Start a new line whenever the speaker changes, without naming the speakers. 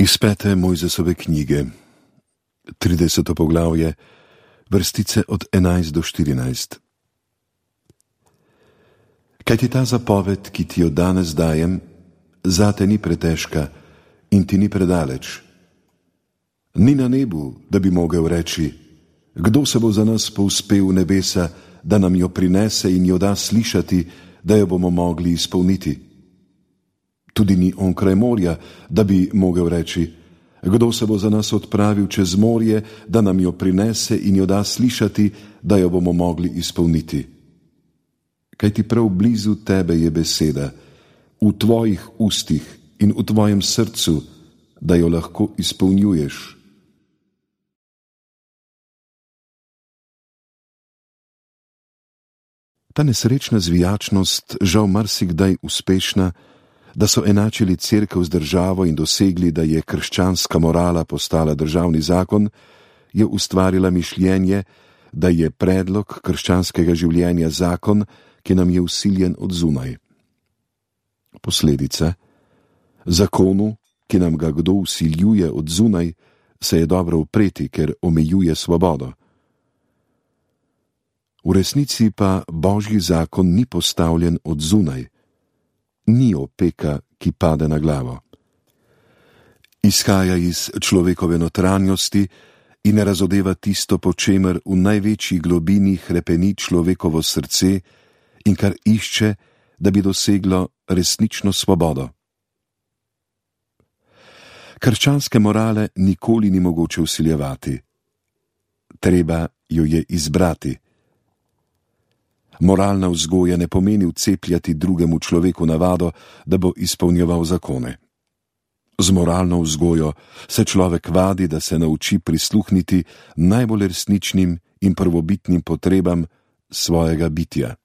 Iz 5. Mojzesove knjige, 30. poglavje, vrstice od 11 do 14. Kajti ta zapoved, ki ti jo danes dajem, zate ni pretežka in ti ni predaleč. Ni na nebu, da bi mogel reči, kdo se bo za nas povzpel v nebesa, da nam jo prinese in jo da slišati, da jo bomo mogli izpolniti. Tudi ni onkraj morja, da bi mogel reči, kdo se bo za nas odpravil čez morje, da nam jo prinese in jo da slišati, da jo bomo mogli izpolniti. Kajti prav blizu tebe je beseda, v tvojih ustih in v tvojem srcu, da jo lahko izpolnjuješ. Ta nesrečna zvijačnost, žal marsikdaj uspešna, da so enačili cerkev z državo in dosegli, da je krščanska morala postala državni zakon, je ustvarila mišljenje, da je predlog krščanskega življenja zakon, ki nam je vsiljen od zunaj. Posledica: zakonu, ki nam ga kdo vsiljuje od zunaj, se je dobro upreti, ker omejuje svobodo. V resnici pa Božji zakon ni postavljen od zunaj, ni opeka, ki pade na glavo. Izhaja iz človekove notranjosti in razodeva tisto, po čemer v največji globini hrepeni človekovo srce in kar išče, da bi doseglo resnično svobodo. Krščanske morale nikoli ni mogoče vsiljevati. Treba jo je izbrati. Moralna vzgoja ne pomeni vcepljati drugemu človeku navado, da bo izpolnjeval zakone. Z moralno vzgojo se človek vadi, da se nauči prisluhniti najbolj resničnim in prvobitnim potrebam svojega bitja.